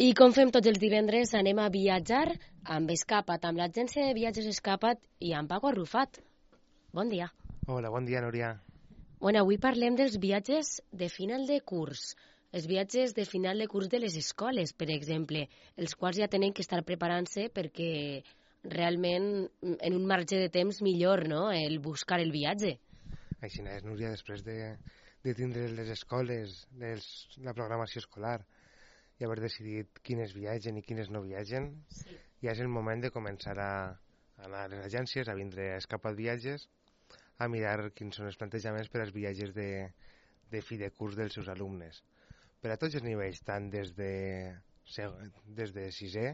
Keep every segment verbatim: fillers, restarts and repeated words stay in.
I com fem tots els divendres, anem a viatjar amb Escapa't, amb l'agència de viatges Escapa't i amb Paco Arrufat. Bon dia. Hola, bon dia, Núria. Bueno, avui parlem dels viatges de final de curs, els viatges de final de curs de les escoles, per exemple, els quals ja tenen que estar preparant-se perquè realment en un marge de temps millor, no?, el buscar el viatge. Així és, Núria, després de, de tindre les escoles, les, la programació escolar, i haver decidit quines viatgen i quines no viatgen, sí. Ja és el moment de començar a, a anar a les agències, a vindre a Escapa't Viatges, a mirar quins són els plantejaments per als viatges de, de fi de curs dels seus alumnes. Per a tots els nivells, tant des de, des de sisè,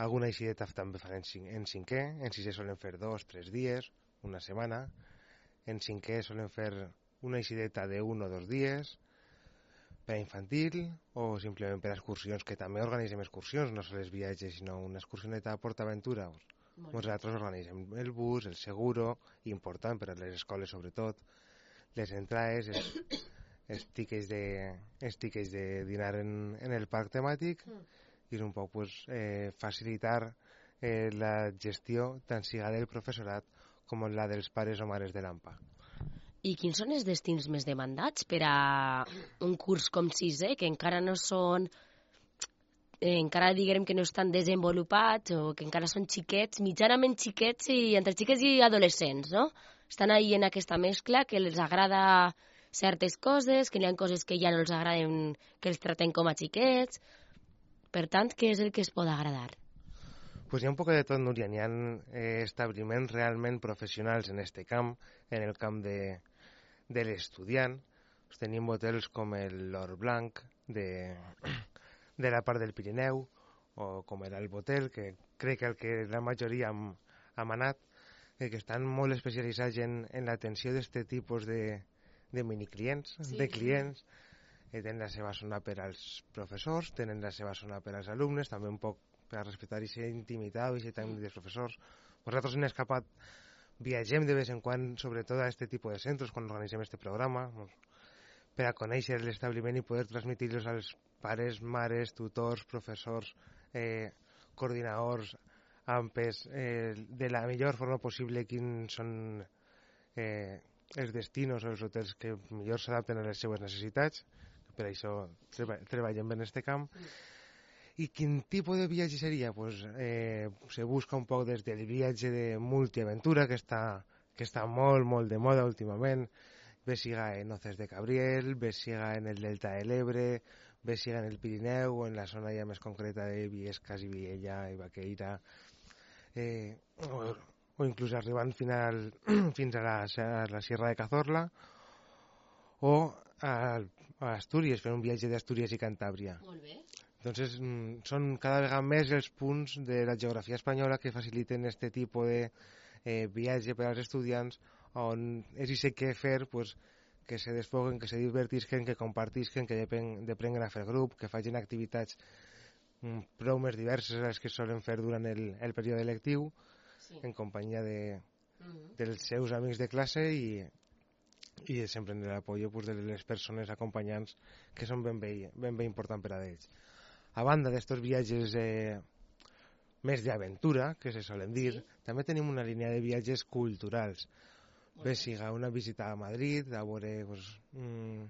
alguna eixideta també fan en, cinc, en cinquè, en sisè solen fer dos, tres dies, una setmana, en cinquè solen fer una eixideta d'un o dos dies, per a infantil o simplement per a excursions, que també organitzem excursions, no sols viatges, sinó una excursioneta a PortAventura. Nosaltres organitzem el bus, el seguro, important per a les escoles sobretot, les entrades, els, els tickets de, els tickets de dinar en, en el parc temàtic, i un poc pues, eh, facilitar eh, la gestió tant siga del professorat com la dels pares o mares de l'A M P A. I quins són els destins més demandats per a un curs com sisè, que encara no són, eh, encara diguem que no estan desenvolupats o que encara són xiquets, mitjanament xiquets i entre xiquets i adolescents, no? Estan ahí en aquesta mescla que els agrada certes coses, que hi ha coses que ja no els agraden, que els traten com a xiquets. Per tant, què és el que es pot agradar? Pues hi ha un poc de tot, Núria. Hi ha eh, establiments realment professionals en este camp, en el camp de, de l'estudiant. Pues tenim hotels com l'Or Blanc de, de la part del Pirineu, o com l'Alb Hotel, que crec que el que la majoria hem, hem anat, eh, que estan molt especialitzats en, en l'atenció d'aquest tipus de, de miniclients, sí. de clients. Eh, tenen la seva zona per als professors, tenen la seva zona per als alumnes, també un poc per a respectar aquesta intimitat i aquest temps dels professors. Nosaltres en Escapa't viatgem de vez en quan, sobretot a aquest tipus de centres, quan organitzem aquest programa, per a conèixer l'establiment i poder transmitir-los als pares, mares, tutors, professors, eh, coordinadors, A M P Es, eh, de la millor forma possible quins són eh, els destinos o els hotels que millor s'adapten a les seues necessitats. Per això treba, treballem en aquest camp. I quin tipus de viatge seria? Pues, eh, se busca un poc des del viatge de multiaventura, que està, que està molt, molt de moda últimament, bé siga en Hoces de Cabriel, bé siga en el Delta de l'Ebre, bé siga en el Pirineu o en la zona ja més concreta de Viescas i Viella i Baqueira, eh, o, o inclús arribant final, fins a la, a la Sierra de Cazorla, o a, a Astúries, fer un viatge d'Astúries i Cantàbria. Molt bé. Entonces, són cada vegada més els punts de la geografia espanyola que faciliten aquest tipus de eh, viatge per als estudiants, on és i sé què fer, pues, que se desfoguen, que se divertisquen, que compartisquen, que deprenguen a fer grup, que facin activitats mm, prou més diverses a les que solen fer durant el, el període lectiu, sí. En companyia de, uh-huh. dels seus amics de classe i, i sempre en l'apoyo pues, de les persones acompanyants, que són ben bé, ben bé important per a ells. A banda d'estos viatges eh, més d'aventura, que se solen dir, sí. També tenim una línia de viatges culturals. Bé, siga una visita a Madrid, a veure, pues, mmm,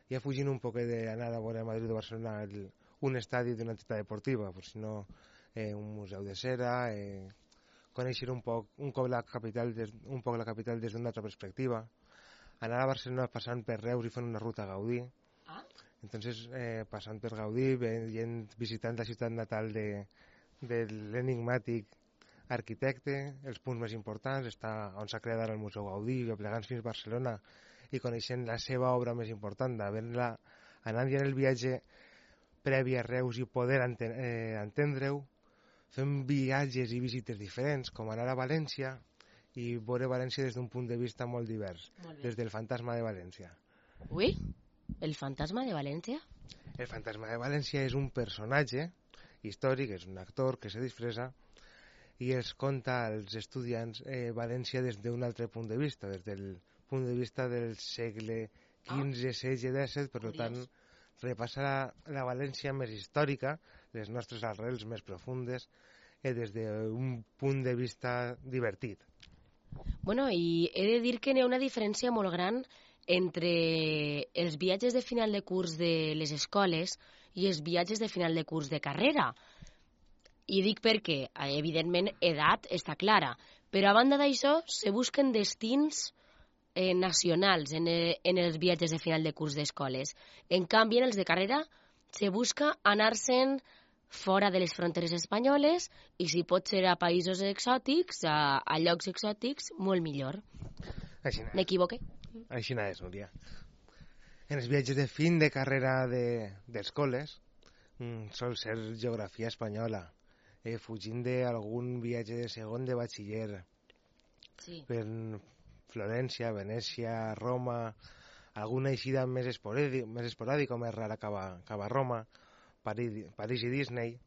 ja fugint un poc d'anar a veure a Madrid o Barcelona el, un estadi d'una entitat deportiva, pues, sinó eh, un museu de cera, eh, conèixer un poc, un cop la capital des, un poc la capital des d'una altra perspectiva, anar a Barcelona passant per Reus i fent una ruta a Gaudí. Ah? Entonces, eh, passant per Gaudí, veient, visitant la ciutat natal de, de l'enigmàtic arquitecte, els punts més importants, està on s'ha creat el Museu Gaudí, plegant fins a Barcelona i coneixent la seva obra més important, havent-la, anant ja en el viatge previ a Reus i poder enten, eh, entendre-ho, fem viatges i visites diferents, com anar a València i veure València des d'un punt de vista molt divers, molt des del fantasma de València. Ui? El fantasma de València? El fantasma de València és un personatge històric, és un actor que se disfressa i els conta als estudiants eh, València des d'un altre punt de vista, des del punt de vista del segle quinze, setze, disset, per tant, repassa la, la València més històrica, les nostres arrels més profundes, eh, des d'un punt de vista divertit. Bueno, i he de dir que n'hi ha una diferència molt gran entre els viatges de final de curs de les escoles i els viatges de final de curs de carrera. I dic perquè, evidentment, edat està clara, però a banda d'això, se busquen destins eh, nacionals en, eh, en els viatges de final de curs d'escoles. En canvi, en els de carrera, se busca anar-se'n fora de les fronteres espanyoles i si pot ser a països exòtics, a, a llocs exòtics, molt millor. M'equivoqué? Així és, Núria. En els viatges de fin de carrera de, d'escoles mm, sol ser geografia espanyola, eh, fugint d'algun viatge de segon de batxiller. Sí. Per Florència, Venècia, Roma, alguna eixida més esporàdica, més esporàdica o més rara que va, que va a Roma, París, París i Disney,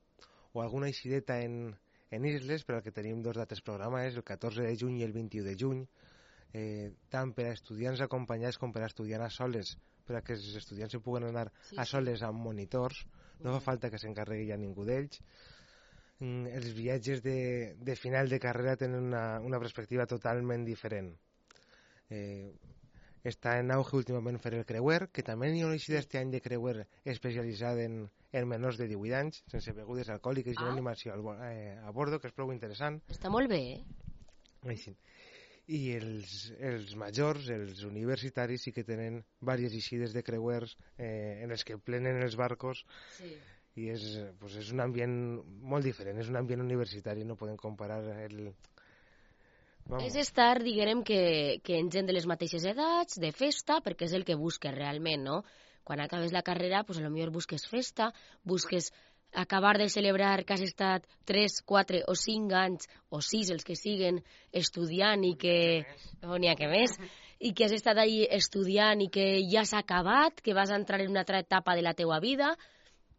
o alguna eixideta en, en isles, per al que tenim dos dates programades, el catorze de juny i el vint-i-u de juny, eh, tant per a estudiants acompanyats com per a estudiants a soles, per a que els estudiants se puguen anar sí, a soles amb monitors, no fa falta que s'encarregui a ningú d'ells. Mm, els viatges de, de final de carrera tenen una, una perspectiva totalment diferent. Eh, està en auge últimament fer el creuer, que també hi ha una eixida este any de creuer especialitzada en, en menors de divuit anys, sense begudes alcohòliques i ah. animació al, eh, a bordo, que és prou interessant. Està molt bé, eh? Així. I els, els majors, els universitaris, sí que tenen diverses eixides de creuers eh, en els que plenen els barcos. Sí. I és, pues és un ambient molt diferent, és un ambient universitari, no podem comparar el... Vamos. És estar, diguem, que, que en gent de les mateixes edats, de festa, perquè és el que busques realment, no? Quan acabes la carrera, pues, potser busques festa, busques acabar de celebrar que has estat tres, quatre o cinc anys, o sis, els que siguen, estudiant i que... No n'hi ha que més. I que has estat ahí estudiant i que ja s'ha acabat, que vas entrar en una altra etapa de la teua vida.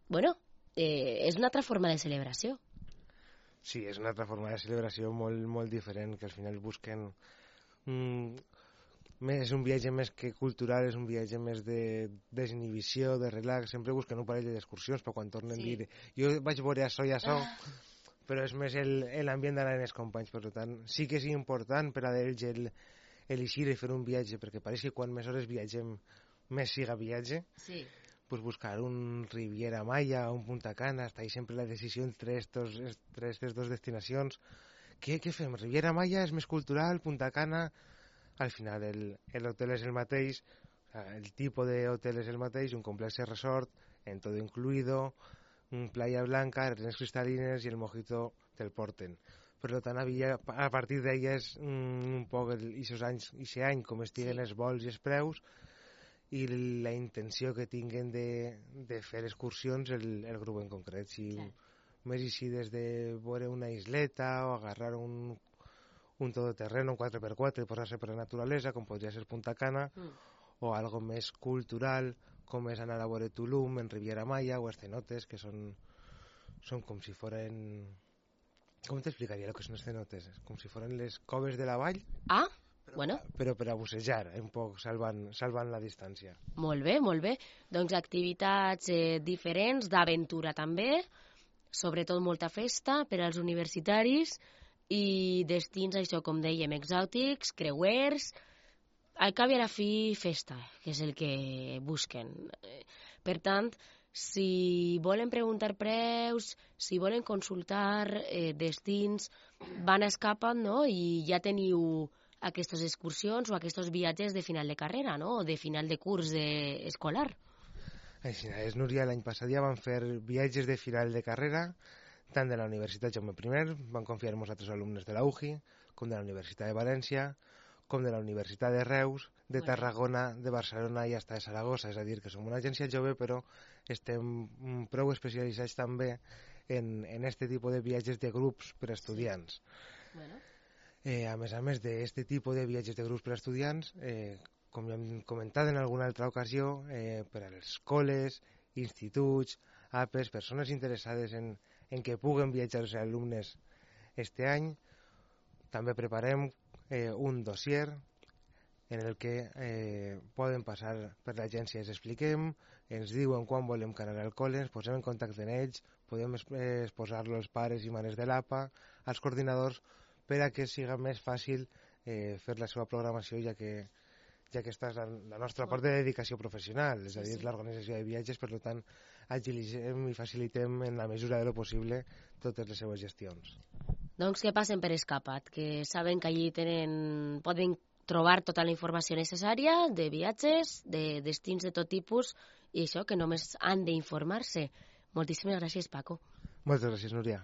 Bueno, eh, és una altra forma de celebració. Sí, és una altra forma de celebració molt, molt diferent, que al final busquen... Mm, és un viatge més que cultural, és un viatge més de desinhibició, de relax, sempre busquen un parell d'excursions, però quan tornen sí. dir jo vaig veure això i això, ah. però és més l'ambient d'anar amb els companys, per tant, sí que és important per a ells el, el eixir i fer un viatge, perquè pareix que quan més hores viatgem, més siga viatge. Sí. Pues buscar un Riviera Maya o un Punta Cana, està ahí sempre la decisió entre estos, entre aquestes dues destinacions. Què, què fem? Riviera Maya és més cultural, Punta Cana... Al final l'hotel és el mateix, el tipus d'hotel és el mateix, un complex resort, en todo incluido, un playa blanca, arenes cristal·lines i el mojito te'l porten. Per tant, havia, a partir d'elles un poc aquests anys, aquest any, com estiguen sí. els vols i els preus, i la intenció que tinguen de, de fer excursions el, el grup en concret. Si sí. més així des de veure una isleta o agarrar un, un todoterreno, un quatre per quatre, i posar-se per la naturalesa, com podria ser Punta Cana, mm. o algo més cultural, com és anar a veure Tulum, en Riviera Maya, o els cenotes, que són, són com si foren... Com t'explicaria el que són els cenotes? Com si foren les coves de la vall. Ah, però, bueno. Però per a bussejar, un poc salvant, salvant la distància. Molt bé, molt bé. Doncs activitats eh, diferents, d'aventura també, sobretot molta festa per als universitaris i destins, això com dèiem, exòtics, creuers, al cap i a la fi festa, que és el que busquen. Per tant, si volen preguntar preus, si volen consultar eh, destins, van a Escapa't, no? I ja teniu aquestes excursions o aquests viatges de final de carrera, no? O de final de curs de... escolar. Així és, Núria, l'any passat ja van fer viatges de final de carrera, tant de la Universitat Jaume I, van confiar-nos a altres alumnes de la U J I, com de la Universitat de València, com de la Universitat de Reus, de Tarragona, de Barcelona i hasta de Saragossa. És a dir, que som una agència jove, però estem prou especialitzats també en, en este tipus de viatges de grups per a estudiants. Sí. Bueno. Eh, a més a més d'aquest tipus de viatges de grups per a estudiants, eh, com ja hem comentat en alguna altra ocasió, eh, per a les escoles, instituts, A P Es, persones interessades en, en que puguen viatjar els alumnes este any, també preparem eh, un dossier en el que eh, poden passar per l'agència, els expliquem, ens diuen quan volem que anar al col·le, ens posem en contacte amb ells, podem exposar-los als pares i mares de l'A P A, als coordinadors, per a que siga més fàcil eh, fer la seva programació, ja que ja que aquesta és la, la nostra part de dedicació professional, és a dir, l'organització de viatges, per tant, agilitzem i facilitem en la mesura de lo possible totes les seves gestions. Doncs que passen per Escapat, que saben que allí tenen, poden trobar tota la informació necessària de viatges, de destins de tot tipus, i això, que només han d'informar-se. Moltíssimes gràcies, Paco. Moltes gràcies, Núria.